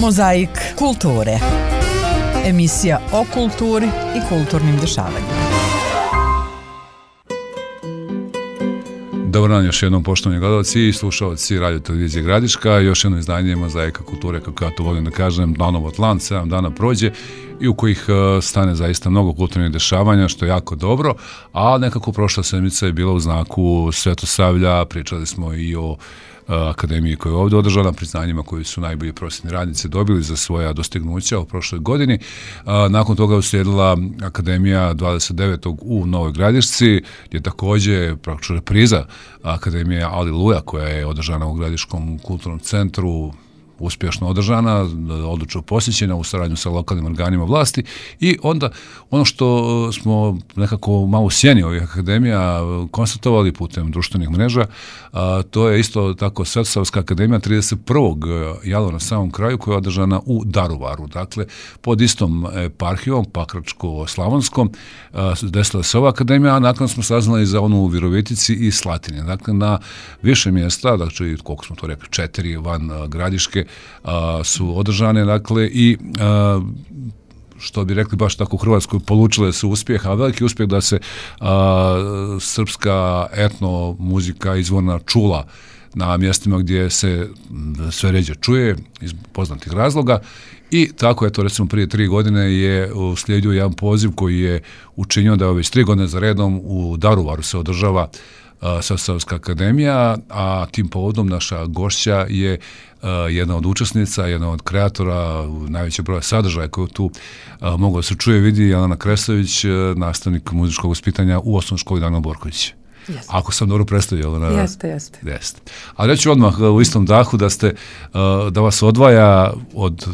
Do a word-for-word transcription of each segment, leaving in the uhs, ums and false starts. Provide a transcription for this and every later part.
Mozaik kulture. Emisija o kulturi i kulturnim dešavanjima. Dobar dan još jednom, poštovani gledalci i slušalci Radio Televizije Gradiška. Još jedno izdanje Mozaika kulture, kako ja to volim da kažem, Danov Atlant, sedam dana prođe i u kojih stane zaista mnogo kulturnih dešavanja, što je jako dobro, a nekako prošla sedmica je bila u znaku Svetosavlja. Pričali smo i o akademiji koja je ovdje održana, priznanjima koji su najbolji prosvetni radnici dobili za svoja dostignuća u prošloj godini. Nakon toga je uslijedila akademija dvadeset devetog u Novoj Gradišci, gdje također praktično repriza akademije Aliluja, koja je održana u Gradiškom kulturnom centru, uspješno održana, odlično posjećena u saradnju sa lokalnim organima vlasti. I onda ono što smo nekako malo u sjeni ovih akademija konstatovali putem društvenih mreža, a, to je isto tako Svetosavska akademija trideset prvog jala na samom kraju, koja je održana u Daruvaru. Dakle, pod istom eparhijom, Pakračko-Slavonskom, desila se ova akademija, a nakon smo saznali za onu u Virovitici i Slatini. Dakle, na više mjesta, dakle, koliko smo to rekli, četiri van Gradiške, A, su održane, dakle, i a, što bi rekli baš tako u Hrvatskoj, polučile su uspjeh, a veliki uspjeh da se a, srpska etno muzika izvorna čula na mjestima gdje se sve ređe čuje iz poznatih razloga. I tako je to, recimo, prije tri godine je uslijedio jedan poziv koji je učinio da već tri godine za redom u Daruvaru se održava Svetosavska akademija, a tim povodom naša gošća je uh, jedna od učesnica, jedna od kreatora najvećeg broja sadržaja koju tu uh, mogu da se čuje, vidi, Jelena Kresović, uh, nastavnik muzičkog vaspitanja u osnovnoj školi Danilo Borković. Jeste. Ako sam dobro predstavio, Jelena. Jeste, jeste. Jeste. A reći odmah u istom dahu da ste, uh, da vas odvaja od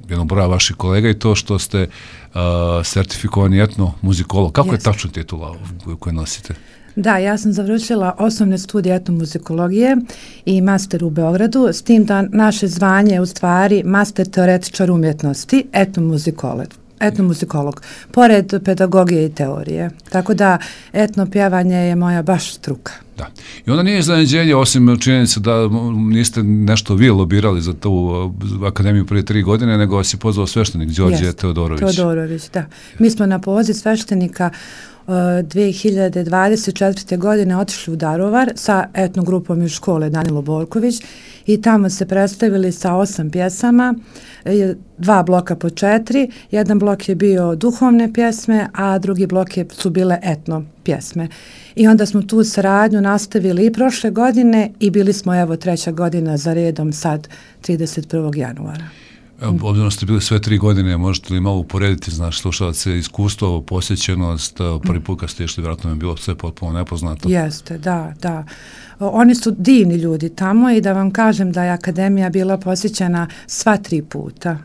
jednog broja vaših kolega i to što ste uh, sertifikovani etno muzikolog. Kako jeste. Je tačno titula koju nosite? Da, ja sam završila osnovne studije etnomuzikologije i master u Beogradu, s tim da naše zvanje je u stvari master teoretičar umjetnosti, etnomuzikolog, etnomuzikolog, pored pedagogije i teorije. Tako da etno pjevanje je moja baš struka. Da. I onda nije iznenađenje, osim činjenice da niste nešto vi lobirali za tu akademiju prije tri godine, nego vas je pozvao sveštenik Đorđe Teodorović. Teodorović, da. Mi smo na poziv sveštenika dvije hiljade dvadeset četvrte. godine otišli u Daruvar sa etno grupom iz škole Danilo Borković i tamo se predstavili sa osam pjesama, dva bloka po četiri, jedan blok je bio duhovne pjesme, a drugi blok je, su bile etno pjesme. I onda smo tu saradnju nastavili i prošle godine i bili smo, evo, treća godina za redom sad trideset prvog januara. Obzirom ste bili sve tri godine, možete li malo uporediti, znaš, slušalce, iskustvo, posjećenost, prvi put kad ste išli, vjerojatno je bilo sve potpuno nepoznato. Jeste, da, da. Oni su divni ljudi tamo i da vam kažem da je akademija bila posjećena sva tri puta.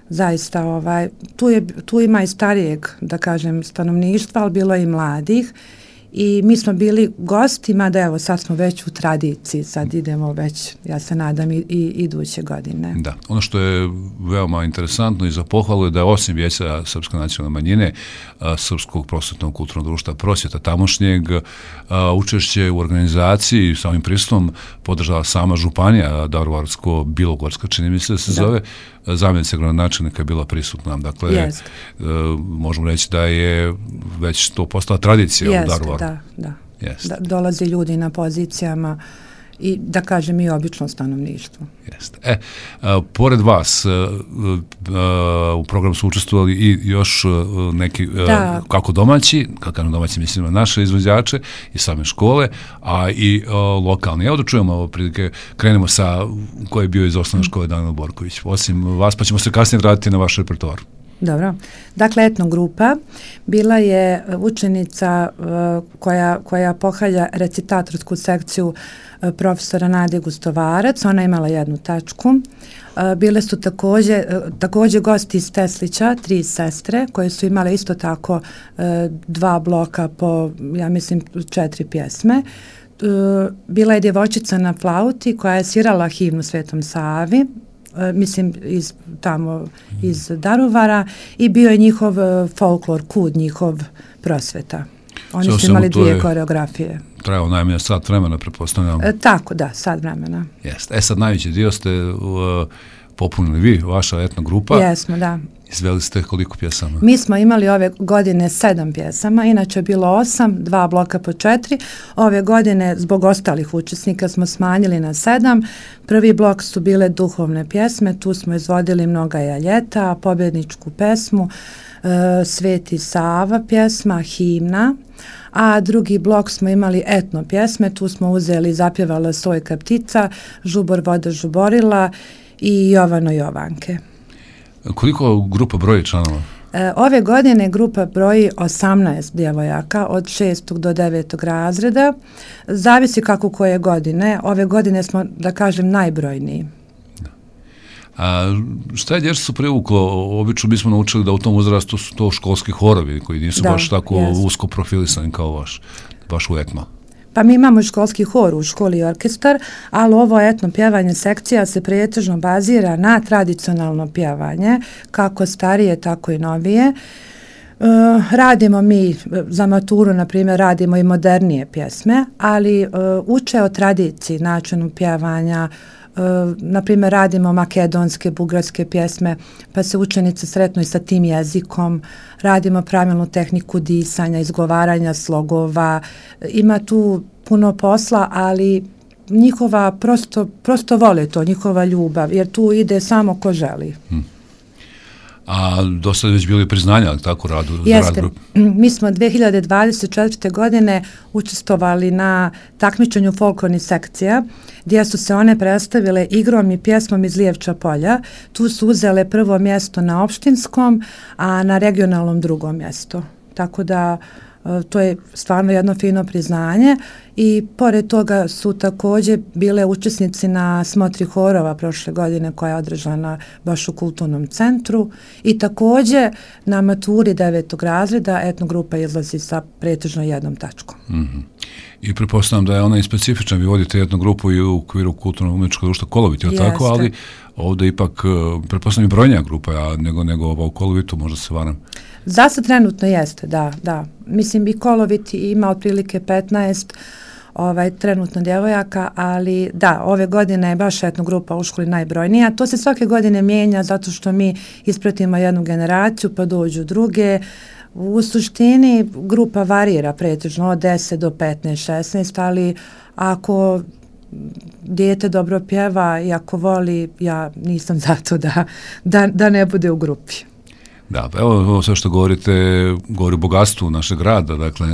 Zaista, ovaj, tu, je, tu ima i starijeg, da kažem, stanovništva, ali bilo je i mladih. I mi smo bili gostima, da evo sad smo već u tradiciji, sad idemo već, ja se nadam, i, i iduće godine. Da, ono što je veoma interesantno i za pohvalu je da je osim Vijeća Srpske nacionalne manjine, a, Srpskog prosvetnog kulturnog društva Prosvjeta tamošnjeg, a, učešće u organizaciji samim pristupom podržala sama županija Daruvarsko-Bilogorska, čini mi se da se da. zove, zamjenica gradonačelnika je bila prisutna. Dakle, yes. e, možemo reći da je već to postala tradicija yes, u Daruvaru. Da, da. Yes. da. Dolaze ljudi na pozicijama i, da kažem, i obično stanovništvo. Jeste. E, a, pored vas a, a, u programu su učestvovali i još a, neki, a, kako domaći, kako domaći mislim na naše izvođače i same škole, a i a, lokalni. Evo da čujemo, prilike, krenemo sa koji je bio iz osnovne škole Danilo Borković. Osim vas, pa ćemo se kasnije vratiti na vaš repertoar. Dobro. Dakle, etno grupa bila je učenica uh, koja, koja pohalja recitatorsku sekciju uh, profesora Nade Gustovarac. Ona je imala jednu tačku. Uh, bile su također, uh, također gosti iz Teslića, tri sestre, koje su imale isto tako uh, dva bloka po, ja mislim, četiri pjesme. Uh, bila je djevojčica na flauti koja je svirala himnu Svetom Savi, mislim iz tamo iz Daruvara, i bio je njihov folklor, kud njihov Prosveta. Oni so, su imali dvije koreografije. Trajao najmanje sat vremena, pretpostavljam. E, tako, da, sat vremena. Jeste. E sad najveći dio ste uh, popunili vi, vaša etno grupa. Jesmo, da. Izveli ste koliko pjesama? Mi smo imali ove godine sedam pjesama, inače je bilo osam, dva bloka po četiri. Ove godine zbog ostalih učesnika smo smanjili na sedam. Prvi blok su bile duhovne pjesme, tu smo izvodili Mnoga je ljeta, pobjedničku pesmu, e, Sveti Sava pjesma, himna, a drugi blok smo imali etno pjesme, tu smo uzeli Zapjevala Sojka ptica, Žubor voda žuborila i Jovano Jovanke. Koliko grupa broji članova? E, ove godine grupa broji osamnaest djevojaka od šestog do devetog razreda. Zavisi kako koje godine. Ove godine smo, da kažem, najbrojniji. Da. A šta je dječacu privuklo? Obično bismo naučili da u tom uzrastu su to školski horovi koji nisu da, baš tako jest. usko profilisani kao vaš, baš u etno. Pa mi imamo školski hor u školi i orkestar, ali ovo etno pjevanje sekcija se pretežno bazira na tradicionalno pjevanje, kako starije, tako i novije. E, radimo mi, za maturu, na primjer, radimo i modernije pjesme, ali e, uče o tradiciji, načinu pjevanja. Uh, na primjer radimo makedonske, bugarske pjesme, pa se učenice sretnu i sa tim jezikom, radimo pravilnu tehniku disanja, izgovaranja slogova, ima tu puno posla, ali njihova prosto, prosto vole to, njihova ljubav, jer tu ide samo ko želi. Hmm. A dosta već bili priznanja, tako radu? Jeste. Rad mi smo dve hiljade dvadeset četvrte. godine učestvovali na takmičenju folklornih sekcija, gdje su se one predstavile igrom i pjesmom iz Lijevča polja. Tu su uzele prvo mjesto na opštinskom, a na regionalnom drugo mjesto. Tako da to je stvarno jedno fino priznanje i pored toga su također bile učesnici na smotri horova prošle godine koja je održana baš u kulturnom centru i također na maturi devetog razreda etno grupa izlazi sa pretežno jednom tačkom. Mm-hmm. I pretpostavljam da je ona i specifična, vi vodite jednu grupu i u okviru kulturnog umjetničkog društva Kolovit, je tako, ali ovdje ipak pretpostavljam i brojnija grupa, a nego, nego ova u Kolovitu, možda se varam. Za sad trenutno jeste, da, da. Mislim, i Kolovit ima otprilike petnaest ovaj, trenutno djevojaka, ali da, ove godine je baš etno grupa u školi najbrojnija. To se svake godine mijenja zato što mi ispratimo jednu generaciju, pa dođu druge. U suštini grupa varira pretežno od deset do petnaest, šesnaest, ali ako dijete dobro pjeva i ako voli, ja nisam zato da, da, da ne bude u grupi. Da, evo ovo sve što govorite, govori o bogatstvu našeg grada, dakle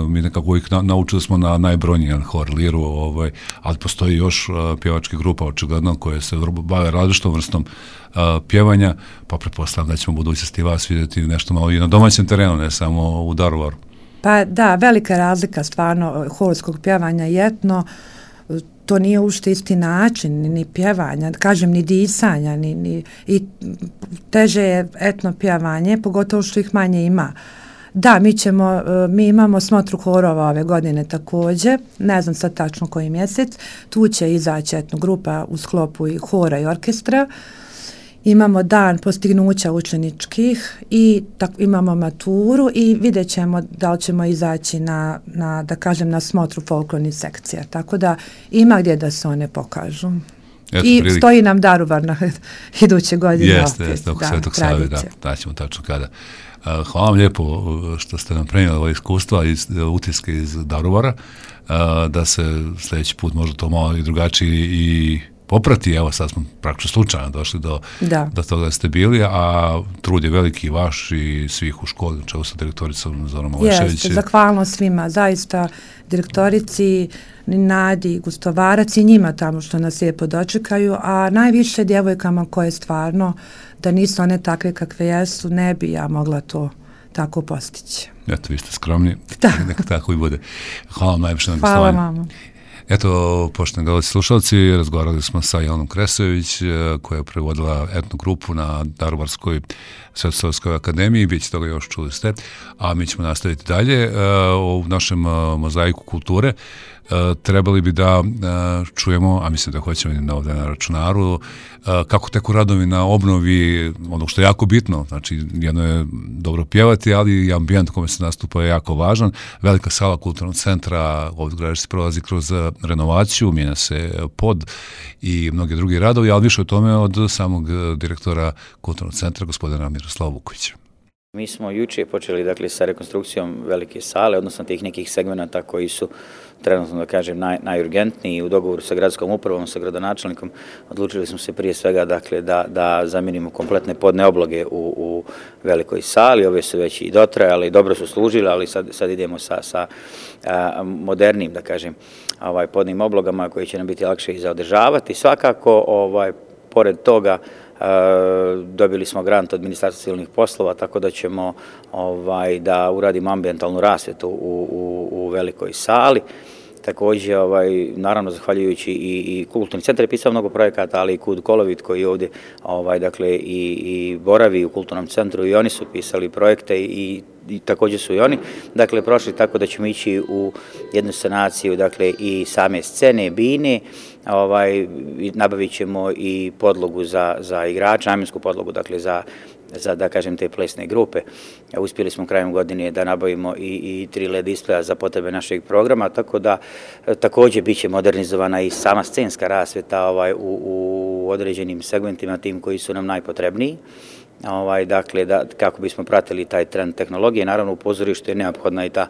mi nekako ih na, naučili smo na najbrojnijan hor, liru, ovaj, ali postoji još uh, pjevačke grupa očigledno koje se bave različitom vrstom uh, pjevanja, pa pretpostavljam da ćemo u budućnosti vas vidjeti nešto malo i na domaćem terenu, ne samo u Daruvaru. Pa da, velika razlika stvarno horskog pjevanja i etno, to nije uopšte isti način ni pjevanja, kažem ni disanja, ni, ni, i teže je etno pjevanje, pogotovo što ih manje ima. Da, mi ćemo, mi imamo smotru horova ove godine također, ne znam sad tačno koji mjesec, tu će izaći etno grupa u sklopu i hora i orkestra. Imamo dan postignuća učeničkih i tak, imamo maturu i vidjet ćemo da li ćemo izaći na, na, da kažem, na smotru folklornih sekcija. Tako da ima gdje da se one pokažu. Eto, I prilike. Stoji nam Daruvar na iduće godine. Jeste, jeste, oko Svetog Save, da, daćemo tačno kada. Hvala vam lijepo što ste nam prenijeli ova iskustva iz utiske iz Daruvara, da se sljedeći put možda to malo i drugačiji i poprati, evo sad smo praktično slučajno došli do, do toga da ste bili, a trud je veliki vaš i svih u školi, čemu sa direktoricom Zorom Olešević. Jeste, zahvalno svima, zaista direktorici, Nadi, Gustovarac i njima tamo što nas lijepo dočekaju, a najviše djevojkama koje stvarno, da nisu one takve kakve jesu, ne bi ja mogla to tako postići. Eto, vi ste skromni, neka tako i bude. Hvala vam najviše na gostovanju. Hvala vam. Eto, poštovani gledalci slušalci, razgovarali smo sa Jelenom Kresović, koja je prevodila etnu grupu na Daruvarskoj Svetosavskoj akademiji, bit će toga još, čuli ste, a mi ćemo nastaviti dalje u našem mozaiku kulture. Trebali bi da čujemo, a mislim da hoćemo na ovdje na računaru, kako teku radovi na obnovi, ono što je jako bitno, znači jedno je dobro pjevati, ali i ambijent kome se nastupa je jako važan. Velika sala kulturnog centra ovdje gradište prolazi kroz renovaciju, mijenja se pod i mnogi drugi radovi, ali više o tome od samog direktora Kulturnog centra, gospodina Miroslava Vukovića. Mi smo juče počeli dakle, sa rekonstrukcijom velike sale, odnosno tih nekih segmenata koji su trenutno, da kažem, naj, najurgentniji. U dogovoru sa gradskom upravom, sa gradonačelnikom, odlučili smo se prije svega dakle, da, da zamijenimo kompletne podne obloge u, u velikoj sali. Ove su već i dotrajale i dobro su služile, ali sad, sad idemo sa, sa a, modernim, da kažem, ovaj, podnim oblogama koji će nam biti lakše i za održavati. Svakako, ovaj, pored toga, Uh, dobili smo grant od Ministarstva civilnih poslova, tako da ćemo ovaj, da uradimo ambijentalnu rasvjetu u, u, u velikoj sali. Također, ovaj, naravno, zahvaljujući i, i Kulturni centar je pisao mnogo projekata, ali i Kud Kolovit koji ovdje ovaj, dakle, i, i boravi u Kulturnom centru i oni su pisali projekte i, i također su i oni dakle, prošli, tako da ćemo ići u jednu sanaciju dakle, i same scene, bine, ovaj, nabavit ćemo i podlogu za, za igrače, namjensku podlogu dakle, za za, da kažem, te plesne grupe. Uspjeli smo krajem godine da nabavimo i, i tri L E D displeja za potrebe našeg programa, tako da također bit će modernizovana i sama scenska rasvjeta ovaj, u, u određenim segmentima tim koji su nam najpotrebniji. Ovaj, dakle, da, kako bismo pratili taj trend tehnologije, naravno u pozorištu je neophodna i ta,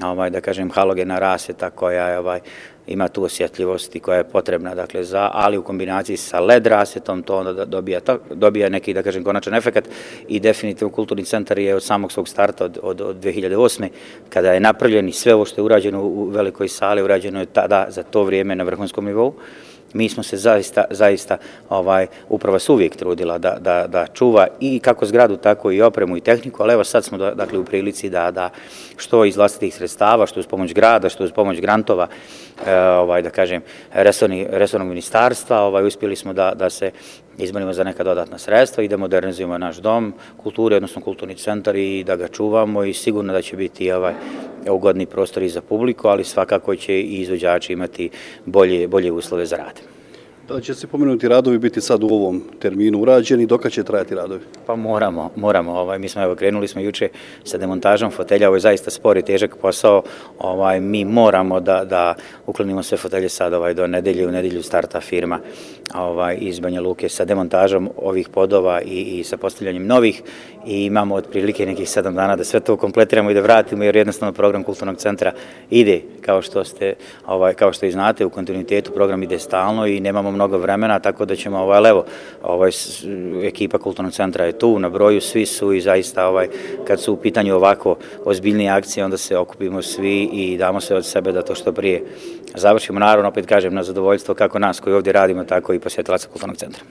ovaj, da kažem, halogena rasvjeta koja je, ovaj, ima tu osjetljivost i koja je potrebna, dakle, za, ali u kombinaciji sa L E D rasvjetom to onda dobija, dobija neki, da kažem, konačan efekt i definitivno Kulturni centar je od samog svog starta od, od, od dvije hiljade osme. kada je napravljen i sve ovo što je urađeno u velikoj sali, urađeno je tada za to vrijeme na vrhunskom nivou. Mi smo se zaista, zaista ovaj, uprava se uvijek trudila da, da, da čuva i kako zgradu, tako i opremu i tehniku, ali evo sad smo dakle, u prilici da, da što iz vlastitih sredstava, što uz pomoć grada, što uz pomoć grantova, e, ovaj, da kažem, resorni, resornog ministarstva, ovaj, uspjeli smo da, da se izborimo za neka dodatna sredstva i da modernizujemo naš dom kulture, odnosno Kulturni centar i da ga čuvamo i sigurno da će biti ovaj, ugodni prostor i za publiku, ali svakako će i izvođači imati bolje, bolje uslove za rad. Da će se pomenuti radovi biti sad u ovom terminu urađeni, dok će trajati radovi? Pa moramo, moramo. Ovaj, mi smo evo krenuli smo juče sa demontažom fotelja, ovo je zaista spor i težak posao. Ovaj, mi moramo da, da uklonimo sve fotelje sad ovaj, do nedelje, u nedelju starta firma ovaj, iz Banja Luke sa demontažom ovih podova i, i sa postavljanjem novih i imamo otprilike nekih sedam dana da sve to kompletiramo i da vratimo jer jednostavno program Kulturnog centra ide kao što ste, ovaj, kao što i znate u kontinuitetu, program ide stalno i nemamo mnogo vremena, tako da ćemo, ovaj, evo, ovaj, ekipa Kulturnog centra je tu na broju, svi su i zaista, ovaj, kad su u pitanju ovako ozbiljnije akcije, onda se okupimo svi i damo se od sebe da to što prije završimo. Naravno, opet kažem, na zadovoljstvo kako nas koji ovdje radimo, tako i posjetilaca Kulturnog centra.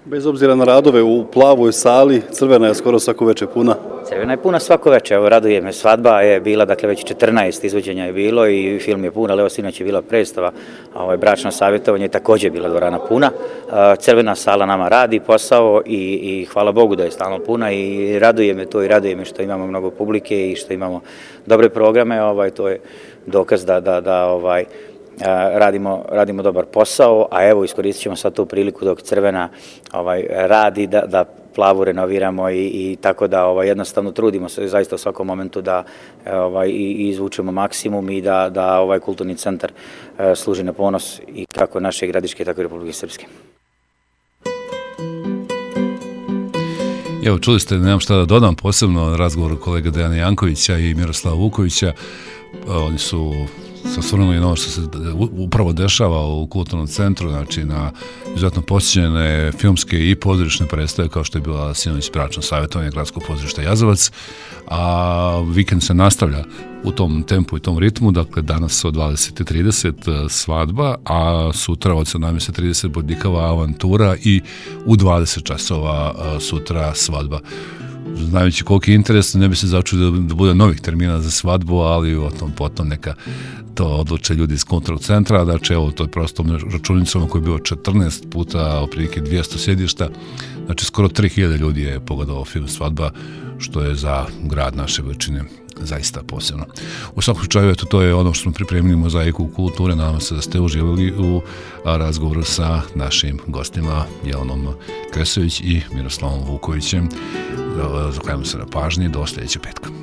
Bez obzira na radove u plavoj sali, crvena je skoro svako večer puna. Crvena je puna svako večer, evo raduje me, svadba je bila, dakle već četrnaest izvođenja je bilo i film je pun, ali evo sinoć je bila predstava, ovaj, bračno savjetovanje je također bila dvorana puna. Crvena sala nama radi posao i, i hvala Bogu da je stalno puna i raduje me to i raduje me što imamo mnogo publike i što imamo dobre programe, ovaj, to je dokaz da, da, da ovaj, Radimo, radimo dobar posao, a evo iskoristit ćemo sad tu priliku dok crvena ovaj, radi da, da plavu renoviramo i, i tako da ovaj, jednostavno trudimo se zaista u svakom momentu da ovaj, i, i izvučemo maksimum i da, da ovaj Kulturni centar eh, služi na ponos i kako naše Gradiške, tako i Republike Srpske. Evo, čuli ste, nemam šta da dodam, posebno na razgovoru kolega Dejana Jankovića i Miroslava Vukovića. Oni su se osvrnuli na ono što se upravo dešava u Kulturnom centru, znači na izuzetno posjećene filmske i pozorišne predstave, kao što je bila sinoć bračno savjetovanje Gradskog pozorišta Jazavac, a vikend se nastavlja u tom tempu i tom ritmu, dakle danas od dvadeset i trideset svadba, a sutra od sedamnaest i trideset bodljikava avantura i u dvadeset časova sutra svadba. Znajući koliki je interes, ne bi se začudio da bude novih termina za svadbu, ali o tom potom neka to odluče ljudi iz Kulturnog centra. Znači, evo, to je prosto računicama koji je bio četrnaest puta, otprilike dvjesto sjedišta. Znači, skoro tri hiljade ljudi je pogledalo film Svadba, što je za grad naše veličine zaista posebno. U svakom slučaju, eto, to je ono što smo pripremili Mozaiku kulture. Nadam se da ste uživali u razgovoru sa našim gostima Jelenom Kresović i Miroslavom Vukovićem. Zahvaljujem se na pažnji, do sljedećeg petka.